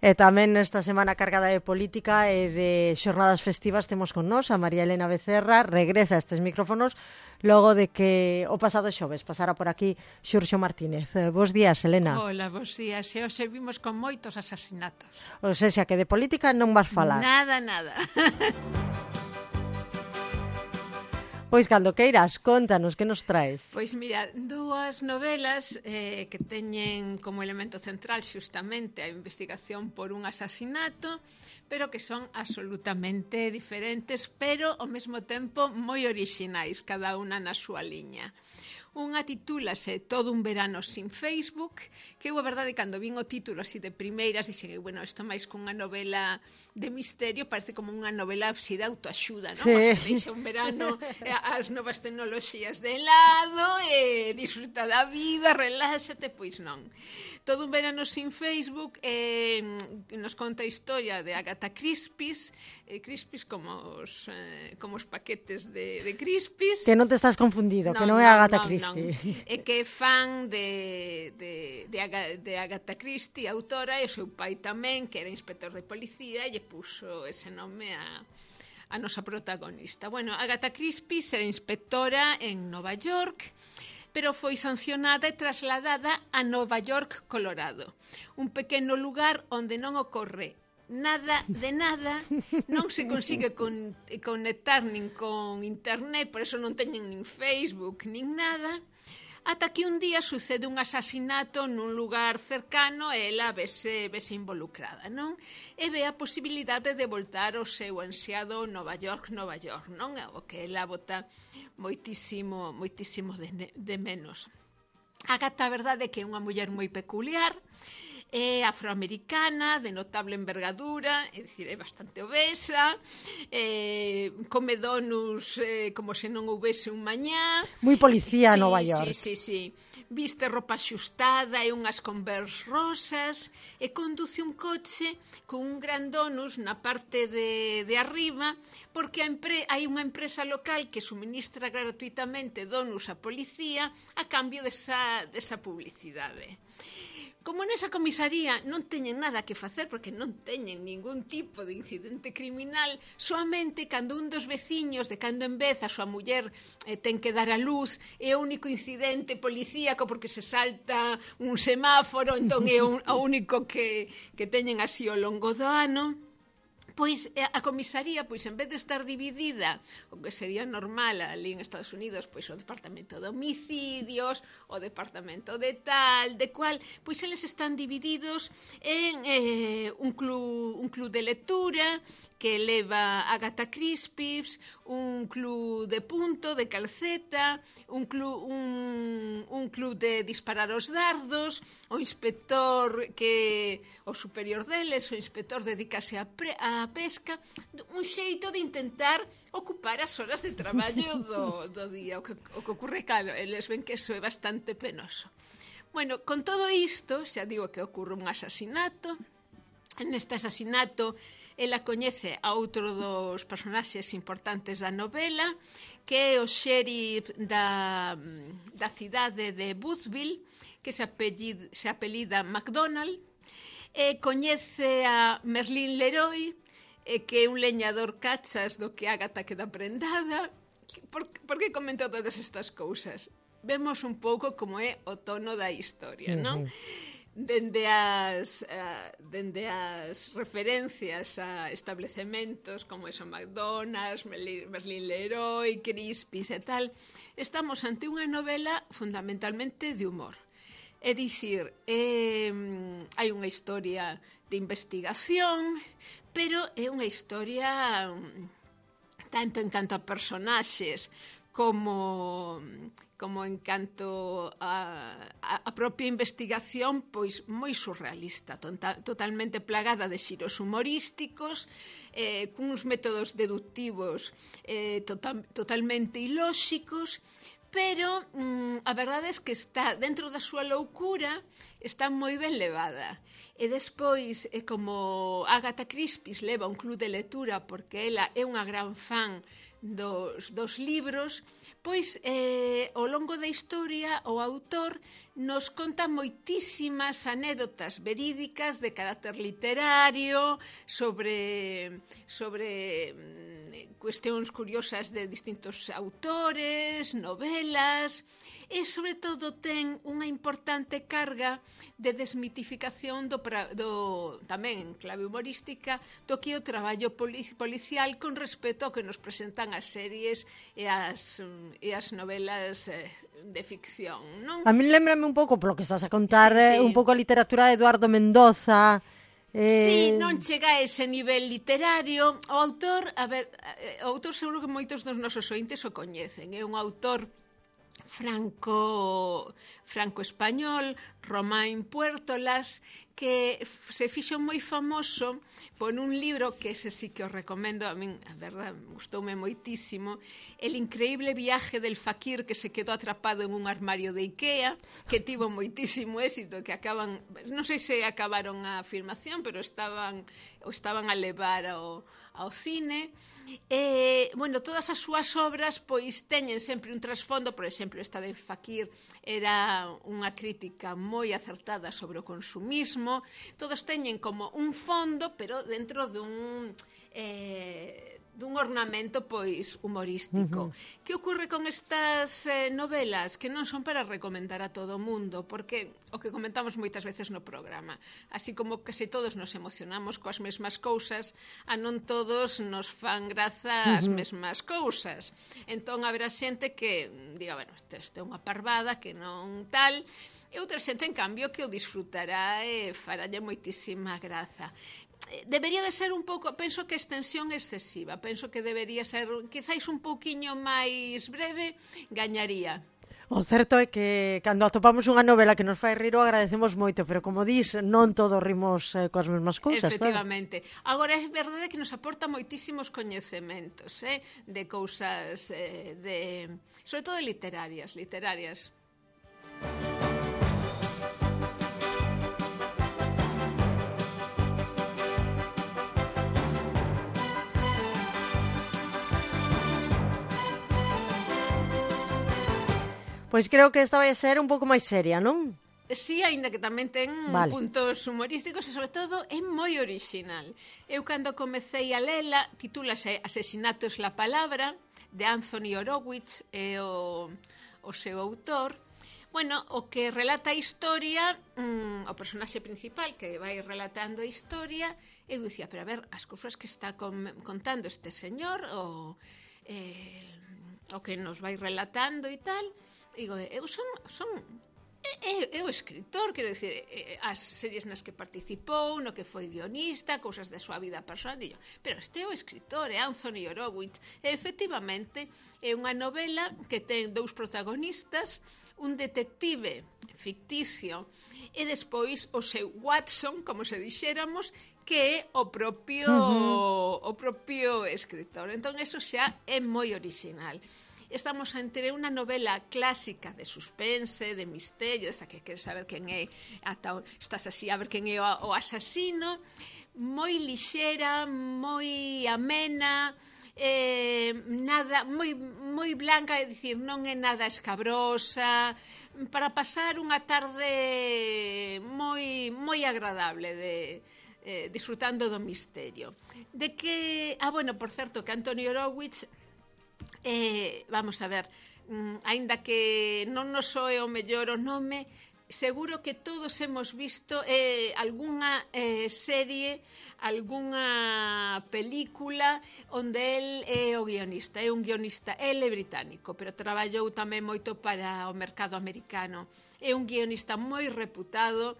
E tamén nesta semana cargada de política e de xornadas festivas temos con nós a María Elena Becerra, regresa a estes micrófonos logo de que o pasado xoves pasara por aquí Xurxo Martínez. Bos días, Elena. Hola, bos días. E hoxe vimos con moitos asasinatos. O sea, que de política non vas falar. Nada. Pois cando queiras, contanos, que nos traes? Pois mira, dúas novelas que teñen como elemento central xustamente a investigación por un asasinato, pero que son absolutamente diferentes, pero ao mesmo tempo moi orixinais, cada unha na súa liña. Unha titúlase Todo un verano sin Facebook, que eu a verdade cando vin o título así de primeiras dixen, bueno, isto máis cunha novela de misterio, parece como unha novela así de autoaxuda, non? Sí. Deixa un verano as novas tecnoloxías de lado e disfruta da vida, reláxate, pois non. Todo un verano sin Facebook nos conta a historia de Agatha Christie's, Christie's como os paquetes de Christie's. Que non te estás confundido, que non é Agatha Christie. É que é fan de Agatha Christie, autora, e o seu pai tamén, que era inspector de policía, e lle puso ese nome a nosa protagonista. Bueno, Agatha Christie era inspectora en Nova York, pero foi sancionada e trasladada a Nova York, Colorado, un pequeno lugar onde non ocorre nada de nada, non se consigue conectar nin con internet, por eso non teñen nin Facebook, nin nada, ata que un día sucede un asasinato nun lugar cercano e ela vese involucrada, non? E ve a posibilidade de voltar ao seu ansiado Nova York, non? O que ela bota moitísimo de menos. Agatha, a verdade é que é unha muller moi peculiar, é afroamericana, de notable envergadura, é dicir, é bastante obesa, come donuts como se non houvese un mañá. Moi policía Nova York. Sí. Viste roupa axustada e unhas Converse rosas e conduce un coche con un gran donus na parte de arriba, porque hai unha empresa local que suministra gratuitamente donus á policía a cambio desa publicidade. Como nesa comisaría non teñen nada que facer porque non teñen ningún tipo de incidente criminal, soamente cando un dos veciños de cando en vez a súa muller ten que dar a luz é o único incidente policíaco porque se salta un semáforo, entón é o único que teñen así ao longo do ano. Pois a comisaría, pois en vez de estar dividida, o que sería normal ali en Estados Unidos, pois o departamento de homicidios, o departamento de tal, de cual, pois eles están divididos en un club de lectura que leva Agatha Christie, un club de punto, de calceta, un club de disparar os dardos, o inspector o superior deles, o inspector dedicase a pesca, un xeito de intentar ocupar as horas de traballo do día. O que ocorre, claro, eles ven que eso é bastante penoso. Bueno, con todo isto, xa digo que ocorre un asasinato. Neste asasinato, ela coñece a outro dos personaxes importantes da novela, que é o xerif da cidade de Boothville, que se apelida MacDonald, e coñece a Merlin Leroy, que é un leñador cachas do que Agatha queda prendada. Por que comento todas estas cousas? Vemos un pouco como é o tono da historia, non? Dende as referencias a establecementos como eso, McDonald's, Merlin Leroy, Christie's e tal, estamos ante unha novela fundamentalmente de humor. É dicir, hai unha historia de investigación, pero é unha historia tanto en canto a personaxes como en canto a propia investigación, pois moi surrealista, totalmente plagada de xiros humorísticos, cuns métodos deductivos totalmente ilóxicos, pero a verdade é que está dentro da súa loucura, está moi ben levada. E despois, como Agatha Christie leva un club de lectura porque ela é unha gran fan dos libros, pois ao longo da historia o autor nos conta moitísimas anécdotas verídicas de carácter literario sobre cuestións curiosas de distintos autores, novelas, e sobre todo ten unha importante carga de desmitificación tamén en clave humorística do que é o traballo policial con respecto ao que nos presentan as series e as novelas de ficción, non? A min lembrame un pouco, polo que estás a contar, sí. un pouco a literatura de Eduardo Mendoza. Sí, non chega a ese nivel literario. O autor seguro que moitos dos nosos ointes o coñecen. É un autor franco-español, Romain Puértolas, que se fixo moi famoso por un libro que ese sí que os recomendo, a min, a verdad, gustoume moitísimo, El increíble viaje del fakir que se quedou atrapado en un armario de Ikea, que tivo moitísimo éxito, que non sei se acabaron a filmación, pero estaban a levar ao cine. Bueno, todas as súas obras pois teñen sempre un trasfondo. Por exemplo, esta de Fakir era unha crítica moi acertada sobre o consumismo. Todos teñen como un fondo, pero dentro dun ornamento pois humorístico. Que ocorre con estas novelas? Que non son para recomendar a todo o mundo, porque o que comentamos moitas veces no programa, así como case todos nos emocionamos coas mesmas cousas, a non todos nos fan graza as mesmas cousas. Entón haberá xente que diga, bueno, isto é unha parvada, que non tal, e outra xente, en cambio, que o disfrutará e faralle moitísima graza. Debería de ser un pouco, penso que extensión excesiva, penso que debería ser quizáis un pouquiño máis breve, gañaría. O certo é que cando atopamos unha novela que nos fai rir o agradecemos moito, pero como dis, non todos rimos coas mesmas cousas. Efectivamente. Claro. Agora é verdade que nos aporta moitísimos coñecementos de cousas, sobre todo literarias. Pois creo que esta vai ser un pouco máis seria, non? Sí, aínda que tamén ten puntos humorísticos e, sobre todo, é moi original. Eu, cando comecei a lela, titúlase Asesinato es la palabra, de Anthony Horowitz, é o seu autor. Bueno, o que relata a historia, o personaxe principal que vai relatando a historia, eu dicía, pero a ver, as cousas que está contando este señor, o que nos vai relatando e tal, digo, eu o escritor, quero dicir, as series nas que participou, no que foi guionista, cousas da súa vida personal, digo, pero este é o escritor, é Anthony Horowitz. E, efectivamente, é unha novela que ten dous protagonistas, un detective ficticio e despois o seu Watson, como se dixéramos, que é o propio escritor. Entón, eso xa é moi original. Estamos entre unha novela clásica de suspense, de misterio, esta que queres saber quen é, estás así a ver quen é o asasino, moi lixera, moi amena, nada, moi blanca, é dicir, non é nada escabrosa, para pasar unha tarde moi agradable disfrutando do misterio. De que, bueno, por certo, que Anthony Horowitz, vamos a ver, aínda que non nos soe o mellor o nome, seguro que todos hemos visto algunha serie, algunha película onde el é o guionista. É un guionista, el é británico, pero traballou tamén moito para o mercado americano. É un guionista moi reputado.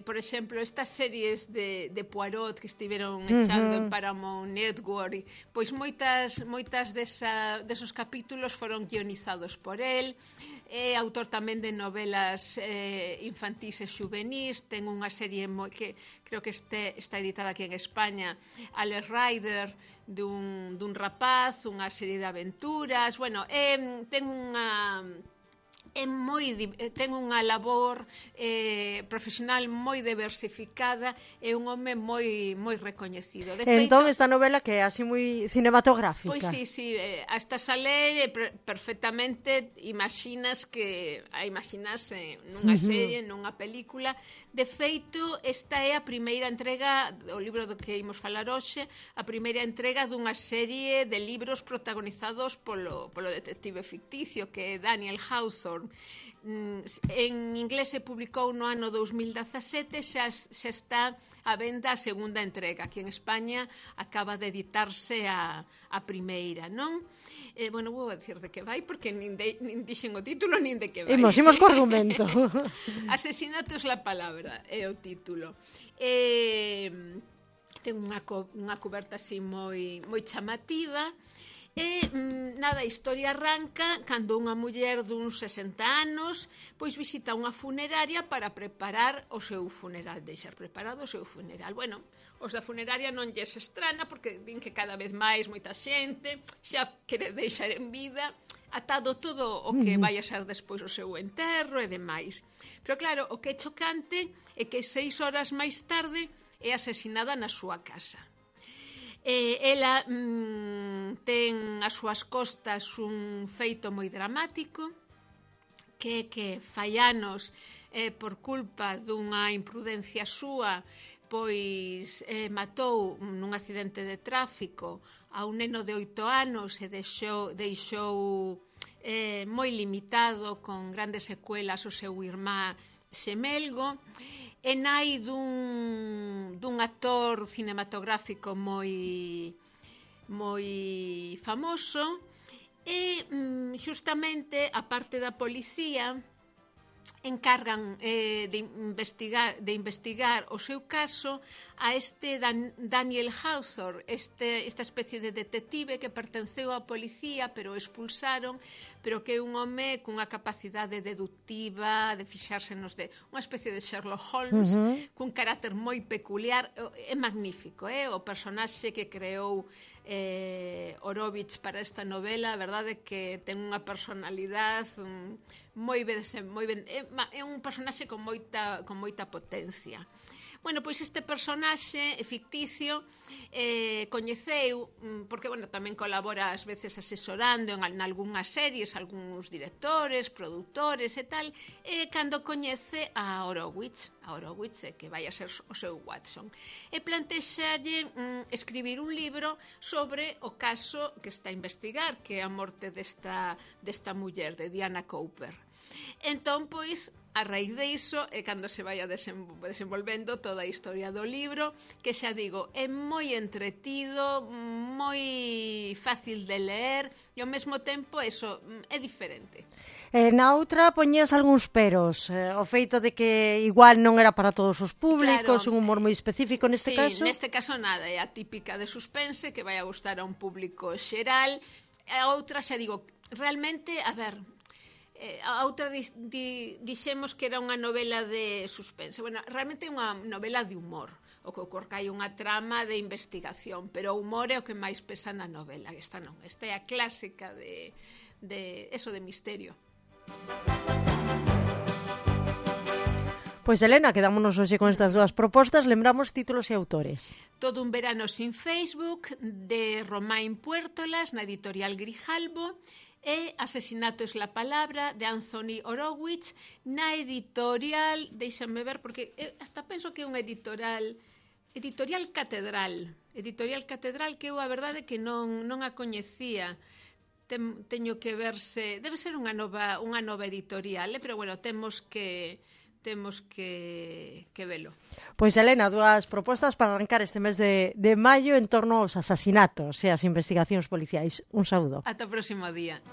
Por exemplo, estas series de Poirot que estiveron echando en Paramount Network, pois moitas desos capítulos foron guionizados por el. É autor tamén de novelas infantís e xuvenís. Ten unha serie que creo que está editada aquí en España, Alex Rider, dun rapaz, unha serie de aventuras. Bueno, ten ten unha labor profesional moi diversificada e un home moi recoñecido. De feito, entón, esta novela que é así moi cinematográfica. Pois sí, hasta sale perfectamente, imaginas nunha serie, nunha película. De feito, esta é a primeira entrega, o libro do que imos falar hoxe, a primeira entrega dunha serie de libros protagonizados polo detective ficticio, que é Daniel Hawthorne. En inglés se publicou no ano 2017, xa está a venda a segunda entrega. Aquí en España acaba de editarse a primeira, non? Bueno, vou dicir de que vai, porque nin dixen o título, nin de que vai. Imos co argumento. Asesinato es la palabra, é o título. Ten unha coberta así moi chamativa. A historia arranca cando unha muller duns 60 anos pois visita unha funeraria para preparar o seu funeral, deixar preparado o seu funeral. Bueno, os da funeraria non lles estrana porque din que cada vez máis moita xente xa quere deixar en vida atado todo o que vai a ser despois o seu enterro e demais. Pero claro, o que é chocante é que 6 horas máis tarde é asesinada na súa casa. Ela ten ás súas costas un feito moi dramático, que fai anos, por culpa dunha imprudencia súa, pois matou nun accidente de tráfico a un neno de 8 anos e deixou moi limitado, con grandes secuelas, o seu irmá xemelgo. É nai dun actor cinematográfico moi famoso e xustamente a parte da policía encargan de investigar o seu caso a este Daniel Hawthorne, esta especie de detective que pertenceu á policía pero expulsaron, pero que é un home cunha capacidade deductiva de fixarse unha especie de Sherlock Holmes, cun carácter moi peculiar. É magnífico, o personaxe que creou Horowitz para esta novela, a verdade é que ten unha personalidade moi ben, é un personaxe con moita potencia. Bueno, pois este personaxe ficticio coñeceu, porque, bueno, tamén colabora ás veces asesorando en algunhas series, algúns directores, produtores e tal, cando coñece a Horowitz, que vai a ser o seu Watson, e plantexalle escribir un libro sobre o caso que está a investigar, que é a morte desta muller, de Diana Cooper. Entón, pois, a raíz de iso é cando se vai a desenvolvendo toda a historia do libro, que xa digo, é moi entretido, moi fácil de ler e ao mesmo tempo eso é diferente. Na outra poñías algúns peros, o feito de que igual non era para todos os públicos, un humor moi específico neste caso. Sí, neste caso nada, é a típica de suspense que vai a gustar a un público xeral. A outra, xa digo, realmente, a ver, a outra dixemos que era unha novela de suspense. Bueno, realmente é unha novela de humor, o que ocorre que hai unha trama de investigación, pero o humor é o que máis pesa na novela. Esta non, esta é a clásica de misterio. Pois, Elena, quedámonos hoxe con estas dúas propostas. Lembramos títulos e autores. Todo un verano sin Facebook, de Romain Puertolas, na editorial Grijalbo, e Asesinato es la palabra, de Anthony Horowitz, na editorial, déixame ver, porque hasta penso que é unha editorial Catedral, que eu a verdade que non a coñecía. Teño que verse, debe ser unha nova editorial, pero bueno, temos que velo. Pois, Elena, dúas propostas para arrancar este mes de maio en torno aos asasinatos e as investigacións policiais. Un saúdo. Ata o próximo día.